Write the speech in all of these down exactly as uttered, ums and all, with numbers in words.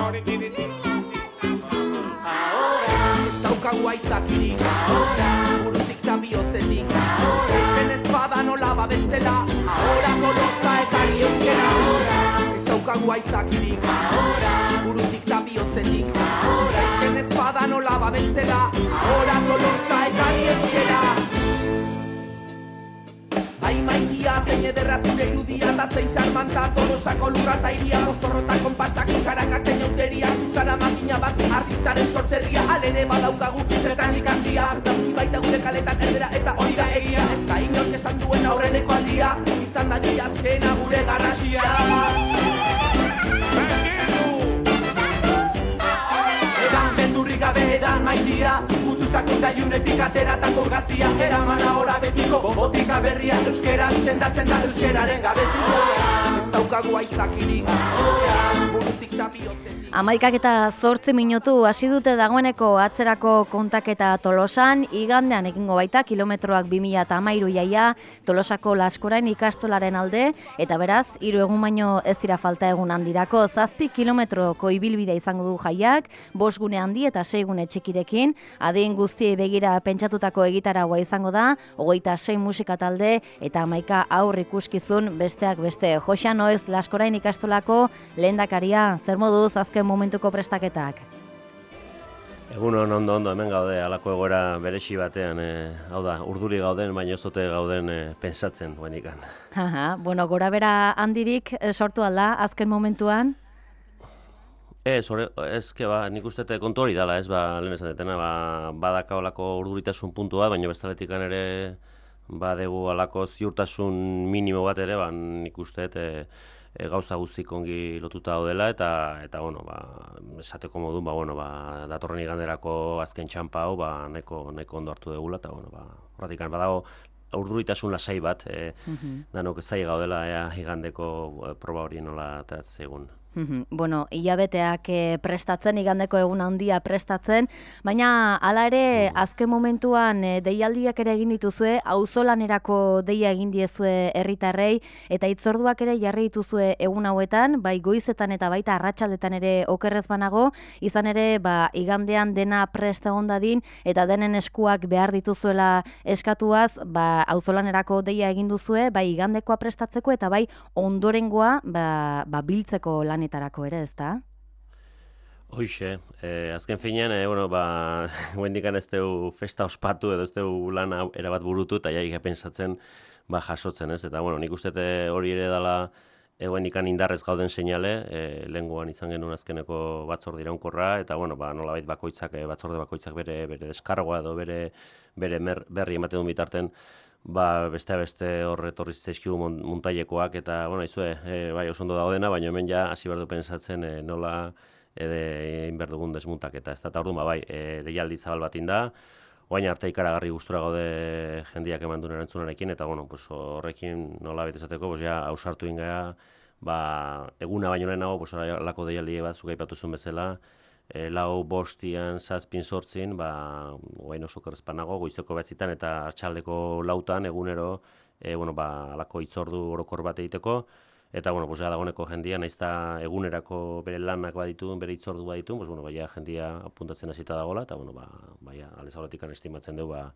Ez daukagu aitzakirik ahora, burutik da bihotzetik zeiten ez bada nola babestela ahora, Tolosa ekari euskera ez daukagu aitzakirik ahora, burutik da bihotzetik zeiten ez bada nola babestela ahora, Tolosa ekari euskera. Ai maitia, zein ederra zure irudia eta zein xarmanta Tolosako lurra eta iria mozorrota konpasak usarangak teñauteria zuzara makina bat artistaren sorterria alere badaukagu zertan ikasia dausi baita gure kaletan erdera eta hori da egia ez da inork esan duen aurreneko aldia izan da diazkena gure garrasia. Edan beldurrik gabe edan maitia Utsusako da iunetik ateratako gazia Eraman ahora betiko botika berria Euskera sendatzen da euskeraren gabezia Ez daukagu aitzakirik burutik da bihotzetik. Amaikak eta zortzi minutu hasi dute dagoeneko atzerako kontaketa Tolosan, igandean egingo baita kilometroak bi mila hamairu jaia Tolosako Laskorain ikastolaren alde, eta beraz, hiru egun baino ez dira falta egun handirako, zazpi kilometroko ibilbidea izango du jaiak, bost gune handi eta sei gune txikirekin, adin guztiei begira pentsatutako egitaragua izango da, hogeita sei musika talde eta hamaika aur ikuskizun besteak beste. Joxan Oez Laskorain ikastolako lehendakaria, zer moduz azken momentuko prestaketak? Egun ondo ondo hemen gaude, halako egoera beresi batean, e, hau da, urduri gauden, baina ez dute gauden e, pensatzen guenikan. Aha, bueno, gora bera handirik e, sortu alda azken momentuan? Ez, hori, ezke ba, nik uste kontu hori dela, ez, ba, lehen esan detena, ba, badaka olako urduritasun puntua, baina bestaletikan ere badegu alako ziurtasun minimo bat ere, ba, nik uste e, e, gauza guztik ongi lotuta daudela eta eta bueno, ba, esateko modun, ba, bueno, ba, datorren iganderako azken txampa hau, ba, neko, neko ondo hartu degula eta bueno, ba, horratikan badago urduritasun lasai bat, e, uh-huh. danok zai gaudela ea igandeko e, proba hori nola ateratzen egun. Bueno, hilabeteak prestatzen, igandeko egun handia prestatzen, baina hala ere azken momentuan deialdiak ere egin dituzue, auzolanerako deia egin diezue herritarrei eta hitzorduak ere jarri dituzue egun hauetan, bai goizetan eta baita arratsaldetan ere okerrez banago, izan ere ba, igandean dena presta egon dadin eta denen eskuak behar dituzuela eskatuaz, ba, auzolanerako deia egin duzue, bai igandekoa prestatzeko eta bai ondorengoa ba, ba, biltzeko lan tarako ere, ez da? Hoixe, eh, azken finean, eh, bueno, ba, guendikan ez deu festa ospatu edo ez deu lan erabat burutu eta jaik pensatzen ba, jasotzen, ez? Eta, bueno, nik uste hori ere dela guendikan indarrez gauden seinale, eh, lehengoan izan genuen azkeneko batzorde iraunkorra eta, bueno, ba, nolabait bakoitzak, batzorde bakoitzak bere, bere deskargoa edo bere, bere mer, berri ematen duen bitarten ba, beste beste horre etorri zaizkigu muntailekoak eta, bueno, izue, e, bai, oso ondo daudena, baina hemen ja hasi behar du pensatzen e, nola egin behar dugun desmuntaketa. Ez da, eta orduan, ba, bai, e, deialdi zabal bat inda, oain arte ikaragarri gustura gaude jendiak eman duen erantzunarekin, eta, bueno, pues, horrekin nola bete esateko, pues, ja, ausartu ingea, ba, eguna baino lehenago, pues, lako deialdi bat, zuka ipatu zuen bezala, E, lau bostian, zazpin sortzin, ba, oain oso kerrezpanago, goizeko batzitan eta artsaldeko lautan egunero, e, bueno, ba, alako hitzordu orokor bat egiteko, eta, bueno, pues, dagoeneko jendia, nahiz eta egunerako bere lanak baditu, bere hitzordu baditu, pues, bueno, baia jendia apuntatzen hasita dagoela, eta, bueno, ba, baia, aldez aurretikan estimatzen dugu, ba,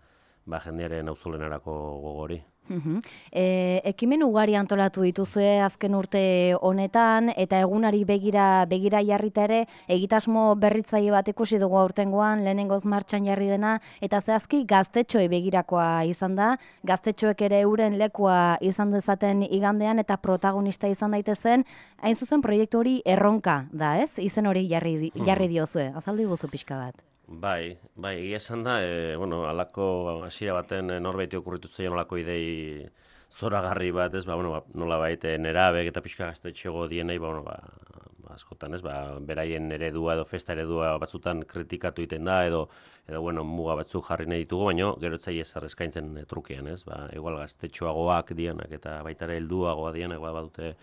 ba, jendearen auzolenerako gogori. Uh-huh. E, ekimen ugari antolatu dituzue azken urte honetan eta egunari begira begira jarrita ere egitasmo berritzaile bat ikusi dugu aurtengoan lehenengoz martxan jarri dena eta zehazki gaztetxoei begirakoa izan da, gaztetxoek ere euren lekua izan dezaten igandean eta protagonista izan daitezen, hain zuzen proiektu hori erronka da, ez? Izen hori jarri, jarri diozue, azaldu guzu pixka bat. Bai, bai, egia esan da, e, bueno, alako hasiera baten norbaiti okurritu zeion alako idei zoragarri bat, ez, ba, bueno, ba, nola baita nerabek eta pixka gaztetxego dienei, ba, bueno, ba, askotan, ez, ba, beraien eredua edo festa eredua batzutan kritikatu egiten da, edo, edo, bueno, muga batzuk jarri nahi ditugu, baina gero etzai ez eskaintzen trukean, ez, ba, igual gaztetxoagoak dianak eta baita ere helduagoa dianak, ba, badute,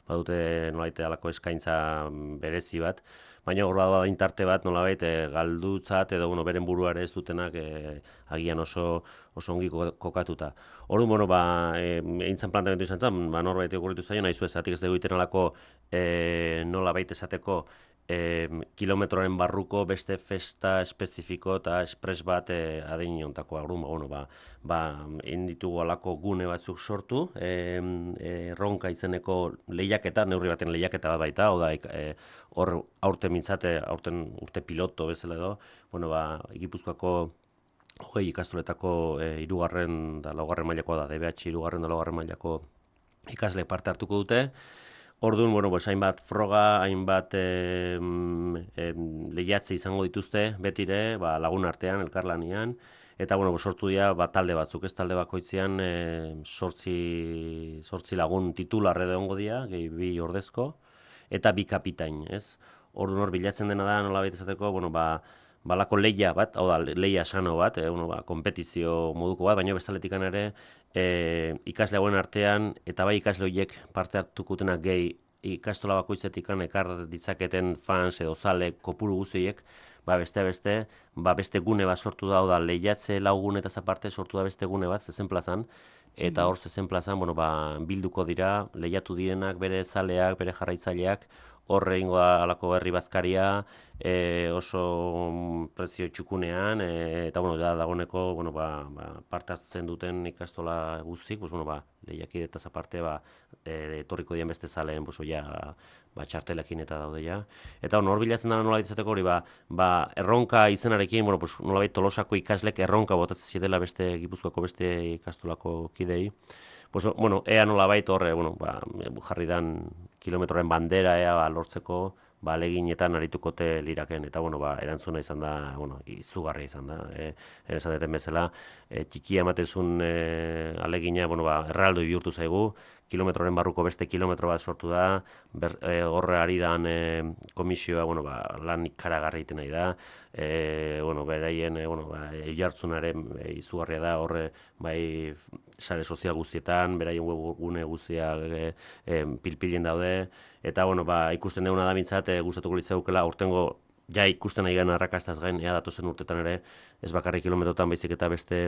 badute nolabait alako eskaintza berezi bat, baina hor bada intarte bat nolabait e, galdutzat edo bueno, beren buruare ez dutenak e, agian oso oso ongi kokatuta. Orduan, bueno, ba, e, eintzan planteamendu izan zen, ba, norbait okurritu zaio, nahi zuezatik ez dugu iten alako e, nolabait esateko e, kilometroren barruko beste festa espezifiko eta espres bat e, adin jontako agru, ba, bueno, ba, ba, inditugu alako gune batzuk sortu, e, e, erronka izeneko lehiaketa, neurri baten lehiaketa bat baita, hau da, e, hor aurte mintzate, aurten urte piloto bezala edo, bueno, ba, Gipuzkoako hogei ikastoletako e, irugarren da laugarren mailakoa da, D B H irugarren da laugarren mailako ikasle parte hartuko dute. Orduan, bueno, pues, hainbat froga, hainbat eh, eh, lehiatze izango dituzte, betire, ba, lagun artean, elkarlanian, eta, bueno, sortu dira ba, talde batzuk, ez talde bakoitzean eh, sortzi, sortzi lagun titular edo ongo dira, gehi bi ordezko, eta bi kapitain, ez? Orduan hor bilatzen dena da, nola baita esateko, bueno, ba, balako leia bat, hau da, leia sano bat, eh, bueno, ba, kompetizio moduko bat, baina bestaletikan ere, E, ikasle hauen artean, eta bai ikasle horiek parte hartukutenak gehi ikastola bakoitzetik ekar ditzaketen fans edo zale kopuru guztiek, ba beste beste, ba beste gune bat sortu da, da lehiatze lau gunetaz aparte sortu da beste gune bat zezen plazan, eta hor zezen plazan, bueno, ba, bilduko dira, lehiatu direnak, bere zaleak, bere jarraitzaileak, horre ingo da alako herri bazkaria, e, oso prezio txukunean, e, eta bueno, da dagoneko bueno, ba, ba, parte hartzen duten ikastola guztik, pues, bueno, ba, lehiakidetaz aparte, ba, e, etorriko dien beste zaleen, pues, ja, ba, txartelekin eta daude ja. Eta hor bilatzen dara nola izateko hori, ba, ba, erronka izenarekin, bueno, pues, nolabait Tolosako ikaslek erronka botatzen zidela beste Gipuzkoako beste ikastolako kidei. Pues, bueno, ea nolabait horre, bueno, ba, jarri dan kilometroren bandera ea ba, lortzeko ba, aleginetan aritukote liraken, eta bueno, ba, erantzuna izan da, bueno, izugarria izan da, e, esan bezala, e, txikia ematezun e, alegina, bueno, ba, erraldoi bihurtu zaigu, kilometroren barruko beste kilometro bat sortu da, ber, e, horre ari dan e, komisioa, bueno, ba, lan ikaragarri egiten nahi da, e, bueno, beraien, e, bueno, ba, jartzunaren e, izugarria da, horre, bai, sare sozial guztietan, beraien webgune guztiak e, e, pilpilien daude, eta, bueno, ba, ikusten duguna da bintzat, e, gustatuko litzaukela, aurtengo, ja ikusten nahi gana arrakastaz gain, ea datozen urtetan ere, ez bakarrik kilometrotan baizik eta beste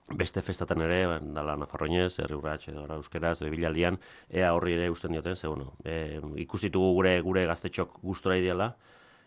beste festatan ere, dala Nafarroinez, Herri Urrats, edo Euskeraz, edo Ibilaldian, ea horri ere usten dioten, ze, bueno, e, ikustitugu gure gure gaztetxok gustora ideala,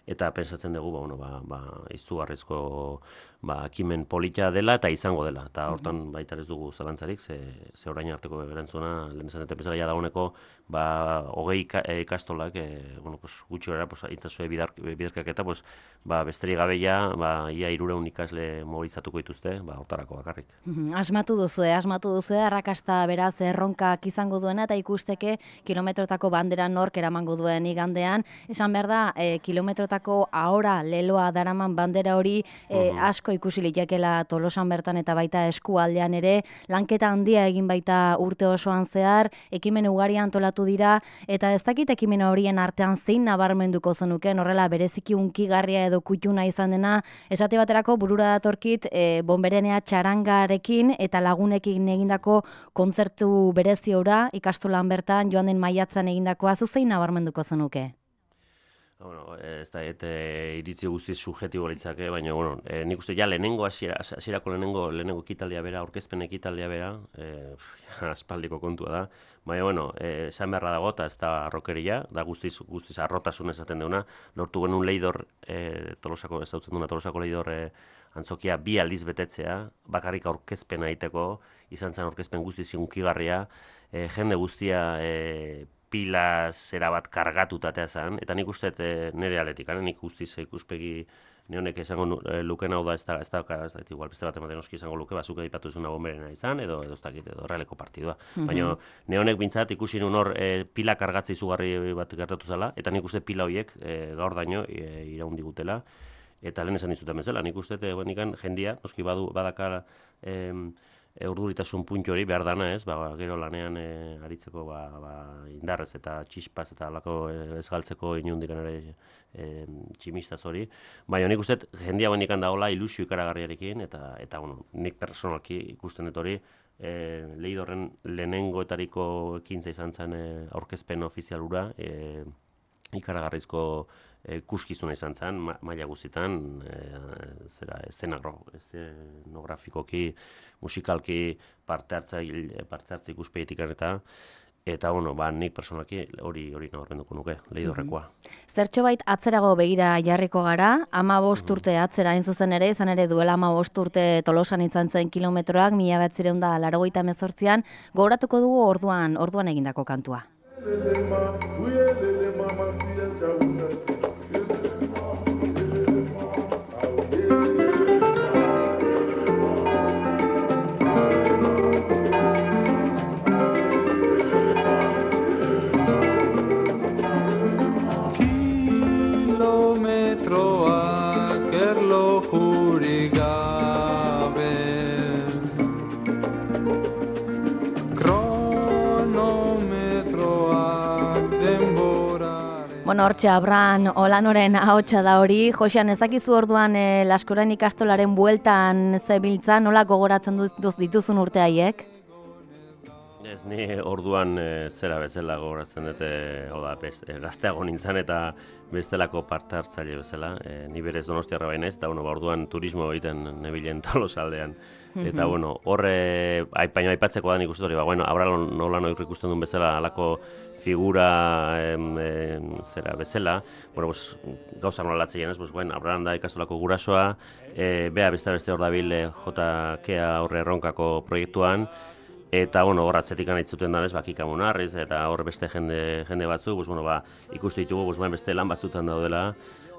eta pentsatzen dugu, ba, bueno, ba, ba, izugarrizko ba, ekimen polita dela eta izango dela. Eta hortan baita ez dugu zalantzarik, ze, ze orain arteko erantzuna, lehen esan dute bezala ja dagoeneko, ba, hogei ikastolak, e, bueno, pues, gutxi gara, pues, itzazue bidarkak eta, pues, ba, besterik gabe ja, ba, ia hirureun ikasle mobilizatuko dituzte, ba, hortarako bakarrik. Asmatu duzue, asmatu duzue, arrakasta beraz erronkak izango duena, eta ikusteke kilometrotako bandera nork eramango duen igandean. Esan behar da, e, kilometrotako ahora leloa daraman bandera hori e, asko ikusi litekeela Tolosan bertan eta baita eskualdean ere, lanketa handia egin baita urte osoan zehar, ekimen ugari antolatu dira, eta ez dakit ekimen horien artean zein nabarmenduko zenuken, horrela bereziki unkigarria edo kutxuna izan dena, esate baterako burura datorkit e, bonberenea txarangarekin eta lagunekin egindako kontzertu berezi ora, ikastolan bertan joan den maiatzan egindakoa, zu zein nabarmenduko zenuke? Bueno, ez da, et, e, iritzi guztiz subjetibo litzake, baina, bueno, e, nik uste ja lehenengo, hasierako lehenengo, lehenengo ekitaldia bera, aurkezpen ekitaldia bera, e, aspaldiko kontua da, baina, bueno, e, esan beharra dago, eta ez da arrokeria, da guztiz, guztiz arrotasun esaten deuna, lortu genuen leidor, e, Tolosako, ez dautzen duna, Tolosako leidor e, antzokia bi aldiz betetzea, bakarrik aurkezpen egiteko, izan zen aurkezpen guztiz unkigarria, e, jende guztia, e, pilaz erabat kargatutatea zen, eta nik uste e, nire aletik, nik guztiz ikuspegi neonek esango e, luken hau da, ez da, ez da, ez da, igual beste bat ematen oski izango luke, bazuke dipatu izuna bomberena izan, edo edo ez dakit, edo realeko partidua. Mm-hmm. Baina neonek bintzat ikusi nun hor e, pila kargatze izugarri bat gertatu zela, eta nik uste pila horiek e, gaur daño e, iraun digutela, eta lehen esan dizuten bezala, nik uste e, benikan jendia, noski badu, badakar e, E, urduritasun puntu hori behar dana, ez, ba, gero lanean e, aritzeko ba, ba, indarrez eta txispaz eta alako e, ez galtzeko inundikan ere e, tximistaz hori. Baina nik uste jendia bendikan dagoela ilusio ikaragarriarekin, eta, eta bueno, nik personalki ikusten dut hori, e, leidorren lehenengoetariko ekintza izan zen e, aurkezpen ofizialura, e, ikaragarrizko e, kuskizuna izan zen, ma, maila guztietan, e, zera, eszenografikoki, musikalki parte hartza, parte hartza ikuspegitik eta Eta, bueno, ba, nik personalki hori hori nabarmenduko nuke, Leidorrekoa. Zertxobait atzerago begira jarriko gara, hamabost urte atzera hain zuzen ere, izan ere duela hamabost urte Tolosan izan zen kilometroak, mila bederatziehun eta laurogeita hemezortzian, gogoratuko dugu orduan orduan egindako kantua. Kilometroak erlojurik gabe, kronometroak denboraren... Bueno, hortxe, Abran Olanoren ahotsa da hori. Josean, ezakizu orduan e, Laskorain ikastolaren bueltan zebiltza, nola gogoratzen duz dituzun urte haiek? Ez, ni orduan e, zera bezala gogoratzen dute, hau da, e, gazteago nintzen eta bestelako parte hartzaile bezala. E, ni berez Donostiarra baina ez, eta bueno, ba, orduan turismo egiten nebilen Tolosaldean. Eta bueno, horre, baina aipatzeko da nik uste hori, ba, bueno, Abran Olano ikusten duen bezala, alako figura em, em, zera bezala, bueno, pues, gauza nola latzien ez, pues, bueno, Abran da ikastolako gurasoa, e, bea beste beste hor dabil e, J K horre erronkako proiektuan, eta, bueno, hor atzetik anaitzuten danez, ba, Kika Munarriz, eta hor beste jende, jende batzuk, pues, bueno, ba, ikustu ditugu, pues, bueno, beste lan batzutan daudela,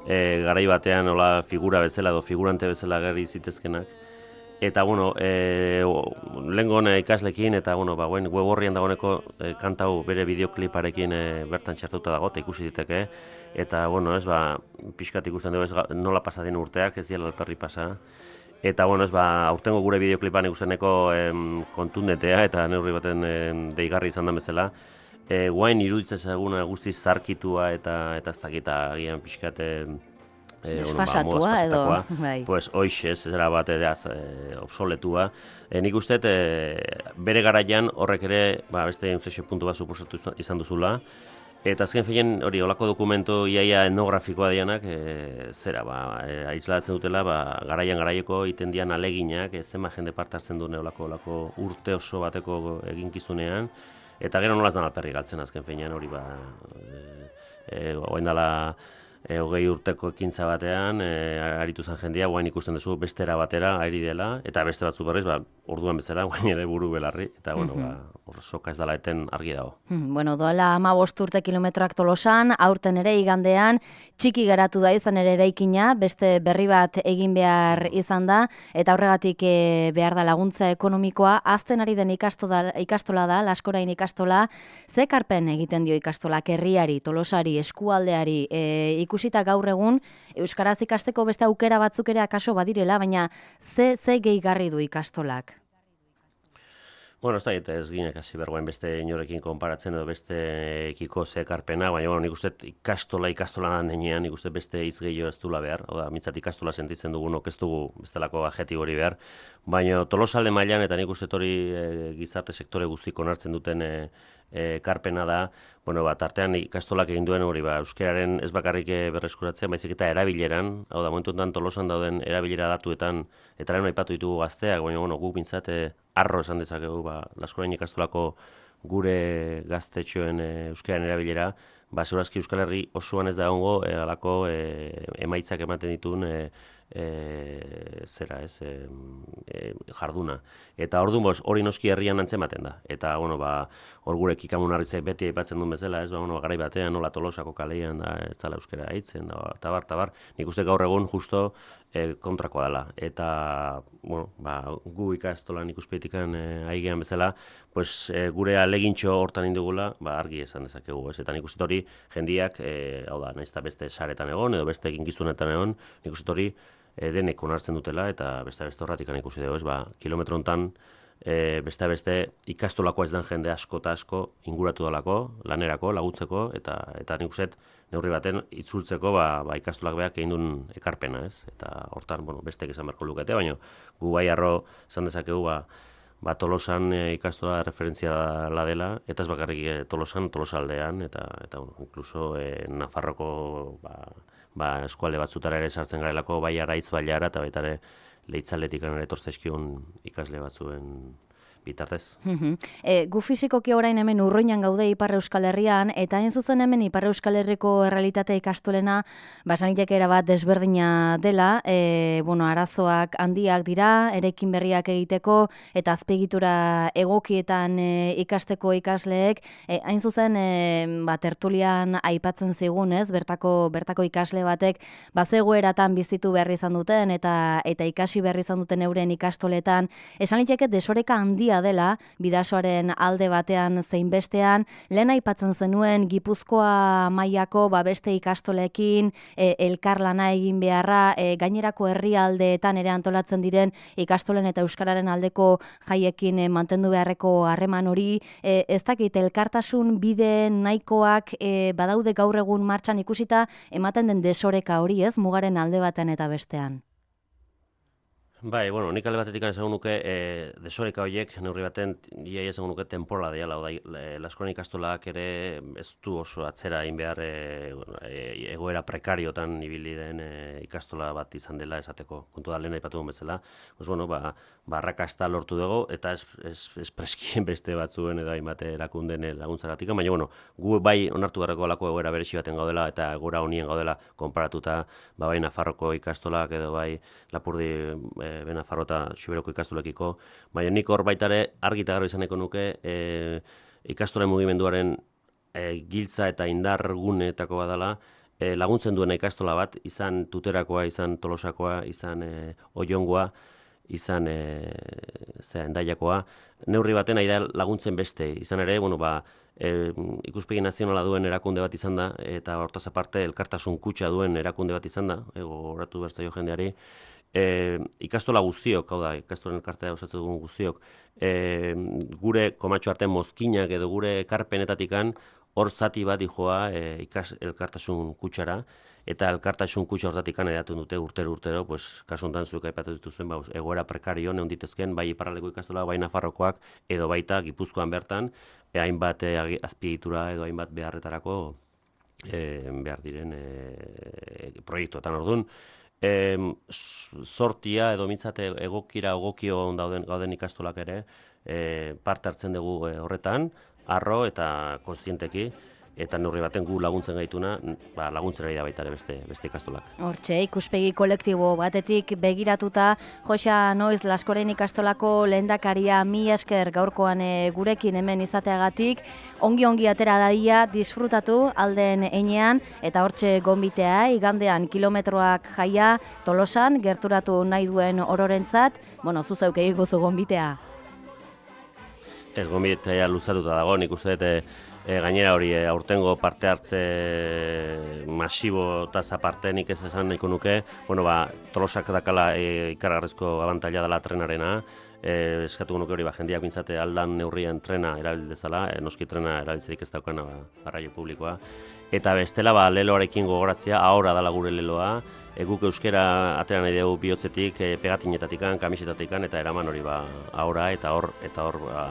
e, garai batean, hola, figura bezala, edo figurante bezala gerri zitezkenak. Eta, bueno, e, lehengo ikaslekin, eta, bueno, ba, web horrian dagoeneko e, kantau bere bideokliparekin e, bertan txartuta dago, eta ikusi diteke. Eta, bueno, ez, ba, pixkat ikusten dugu, ez, nola pasadien urteak, ez diela alperri pasa. Eta, bueno, ez, ba, aurtengo gure bideoklipan ikusteneko em, kontundetea, eta neurri baten em, deigarri izan da bezala. E, guain iruditzen eguna guztiz zarkitua, eta eta ez dakita agian pixkat... Eh, desfasatua bueno, ba, edo, bai. Pues hoxe, ez zera bat edaz e, obsoletua. E, nik uste, e, bere garaian horrek ere ba, beste inflexio puntu bat suposatu izan duzula. Eta azken feien hori olako dokumentu iaia etnografikoa dianak, e, zera, ba, e, aitzlatzen dutela, ba, garaian garaieko iten dian aleginak, e, zenba jende parte hartzen duen olako, olako urte oso bateko eginkizunean. Eta gero nolaz dan alperri galtzen azken feien hori, ba, e, e, oendala, E, hogei urteko ekintza batean, e, aritu zen jendia, guain ikusten duzu bestera batera ari dela, eta beste batzu berriz, ba, orduan bezala, guain ere buru belarri, eta bueno, mm -hmm. ba, hor soka ez dela eten argi dago. Mm, bueno, doala hamabost urte kilometroak Tolosan, aurten ere igandean, txiki geratu da izan ere eraikina, beste berri bat egin behar izan da, eta horregatik e, behar da laguntza ekonomikoa, azten ari den ikastola, ikastola da, Laskorain ikastola, ze ekarpen egiten dio ikastolak herriari, Tolosari, eskualdeari, e, ikusita gaur egun, euskaraz ikasteko beste aukera batzuk ere akaso badirela, baina ze, ze gehigarri du ikastolak? Bueno, ez da, ez ginek hasi bergoen beste inorekin konparatzen edo beste ekiko ze ekarpena, baina bueno, nik uste ikastola ikastola da nenean, nik uste beste hitz gehiago ez dula behar, oda, mitzat ikastola sentitzen dugunok ez dugu bestelako adjektibo hori behar, baina Tolosalde mailan eta nik uste hori e, gizarte sektore guztik onartzen duten e, ekarpena da, bueno, ba, tartean ikastolak egin duen hori, ba, euskararen ez bakarrik berreskuratzen, baizik eta erabileran, hau da, momentu enten Tolosan dauden erabilera datuetan, eta lehen aipatu ditugu gazteak, baina, bueno, guk bintzat, e, arro esan dezakegu, ba, Laskorain ikastolako gure gaztetxoen e, euskararen erabilera, ba, segurazki Euskal Herri osoan ez da ongo, e, alako e, emaitzak ematen dituen, e, E, zera ez, e, e, jarduna. Eta orduan boz, hori noski herrian antzematen da. Eta, bueno, ba, hor gure Kika Munarrizek beti aipatzen duen bezala, ez, ba, bueno, garai batean, nola Tolosako kalean da, ez zala euskera aitzen, da, tabar, tabar. Nik uste gaur egun justo e, kontrakoa dela. Eta, bueno, ba, gu ikastolan ikuspetikan e, aigean bezala, pues, e, gure alegintxo hortan indugula, ba, argi esan dezakegu, ez. Eta nik uste hori jendiak, e, hau da, nahiz eta beste saretan egon, edo beste eginkizunetan egon, nik uste hori E, denek onartzen dutela, eta beste beste horratik ikusi dugu, ez, ba, kilometro hontan e, beste beste ikastolako ez den jende asko eta asko inguratu dalako, lanerako, laguntzeko, eta eta nik uste neurri baten itzultzeko ba, ba, ikastolak beak egin duen ekarpena, ez, eta hortan, bueno, bestek esan beharko lukete, baina gu bai arro esan dezakegu, ba, ba, Tolosan e, ikastola referentzia la dela, eta ez bakarrik e, Tolosan, Tolosaldean, eta, eta bueno, inkluso e, Nafarroko, ba, ba, eskualde batzutara ere sartzen garelako, bai araitz bailara, eta baita ere leitzaletik ere etortzaizkion ikasle batzuen bitartez. E, gu fizikoki orain hemen urroinan gaude Ipar Euskal Herrian, eta hain zuzen hemen Ipar Euskal Herriko errealitate ikastolena basaniteke erabat desberdina dela, e, bueno, arazoak handiak dira, eraikin berriak egiteko, eta azpiegitura egokietan e, ikasteko ikasleek, e, hain zuzen e, ba, tertulian aipatzen zigun, ez, bertako, bertako ikasle batek, bazegoeratan bizitu behar izan duten, eta, eta ikasi behar izan duten euren ikastoletan, esan liteke desoreka handia dela, bidasoaren alde batean zein bestean, lehen aipatzen zenuen Gipuzkoa mailako ba, beste ikastolekin, e, elkarlana egin beharra, e, gainerako herrialdeetan ere antolatzen diren ikastolen eta euskararen aldeko jaiekin e, mantendu beharreko harreman hori, e, ez dakit elkartasun bide nahikoak e, badaude gaur egun martxan ikusita ematen den desoreka hori, ez, mugaren alde batean eta bestean. Bai, bueno, nik alde batetik esango nuke e, desoreka horiek neurri baten iaia esango nuke temporala dela, oda, Laskoren ikastolak ere ez du oso atzera egin behar e, e, egoera prekariotan ibili den e, ikastola bat izan dela esateko, kontu da lehen aipatu bezala, pues, bueno, ba, barrakasta lortu dugu, eta ez, ez, ez preskien beste batzuen edo hainbat erakunden laguntzagatik, baina, bueno, gu bai onartu beharreko alako egoera berezi baten gaudela, eta egoera honien gaudela konparatuta, ba, bai Nafarroko ikastolak edo bai Lapurdi e, Benafarro eta Xuberoko ikastolekiko, baina nik hor baitare argi eta garbi izaneko nuke e, ikastolen mugimenduaren e, giltza eta indar guneetako badala, e, laguntzen duena ikastola bat, izan Tuterakoa, izan Tolosakoa, izan e, Oiongoa, izan e, zera, Endaiakoa, neurri baten ari da laguntzen beste, izan ere, bueno, ba, e, ikuspegi nazionala duen erakunde bat izan da, eta hortaz aparte elkartasun kutxa duen erakunde bat izan da, ego horatu berzaio jendeari, E, ikastola guztiok, hau da, ikastolen elkartea osatzen dugun guztiok, e, gure komatxo arte mozkinak edo gure ekarpenetatikan hor zati bat dijoa e, ikas elkartasun kutsara, eta elkartasun kutsa hortatikan edatun dute urtero urtero, pues, kasuntan zuek aipatu dituzuen, ba, egoera prekario neonditezken, bai iparraldeko ikastola, bai Nafarrokoak, edo baita Gipuzkoan bertan, e, hainbat e, azpiegitura edo hainbat beharretarako e, behar diren e, proiektuetan orduan. E, sortia edo mintzate egokira egokio dauden gauden ikastolak ere e, parte hartzen dugu e, horretan, arro eta kontzienteki, eta neurri baten gu laguntzen gaituna, ba, laguntzen ari da baita ere beste, beste ikastolak. Hortxe, ikuspegi kolektibo batetik begiratuta, Joxa Noiz Laskoren ikastolako lehendakaria, mi esker gaurkoan e, gurekin hemen izateagatik, ongi-ongi atera dadia, disfrutatu alden einean, eta hortxe gonbitea, igandean kilometroak jaia, Tolosan, gerturatu nahi duen ororentzat, bueno, zuzeuk egiguzu gonbitea. Ez, gonbitea luzatuta dago, nik uste dut, E, gainera hori, e, aurtengo parte hartze masibo eta aparte nik ez esan nahiko nuke, bueno, ba, Tolosak dakala e, ikaragarrizko abantaila dela trenarena, e, eskatu nuke hori, ba, jendeak bintzate aldan neurrien trena erabil dezala, e, noski trena erabiltzerik ez daukana ba, arraio publikoa, eta bestela ba, leloarekin gogoratzea, ahora dala gure leloa, e, guk euskera atera nahi dugu bihotzetik, e, pegatinetatikan, kamisetatikan, eta eraman hori ba, ahora, eta hor, eta hor, ba,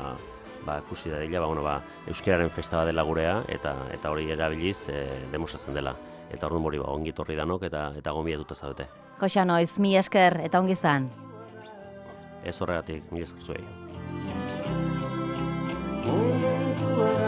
ba, ikusi da dela, ba, bueno, ba, euskararen festa bat dela gurea, eta eta hori erabiliz e, demostratzen dela. Eta orduan hori ba, ongi torri danok, eta eta gonbidatuta zaudete. Joxa Noiz, mi esker eta ongi izan. Ez horregatik, mi esker zuei. Momentua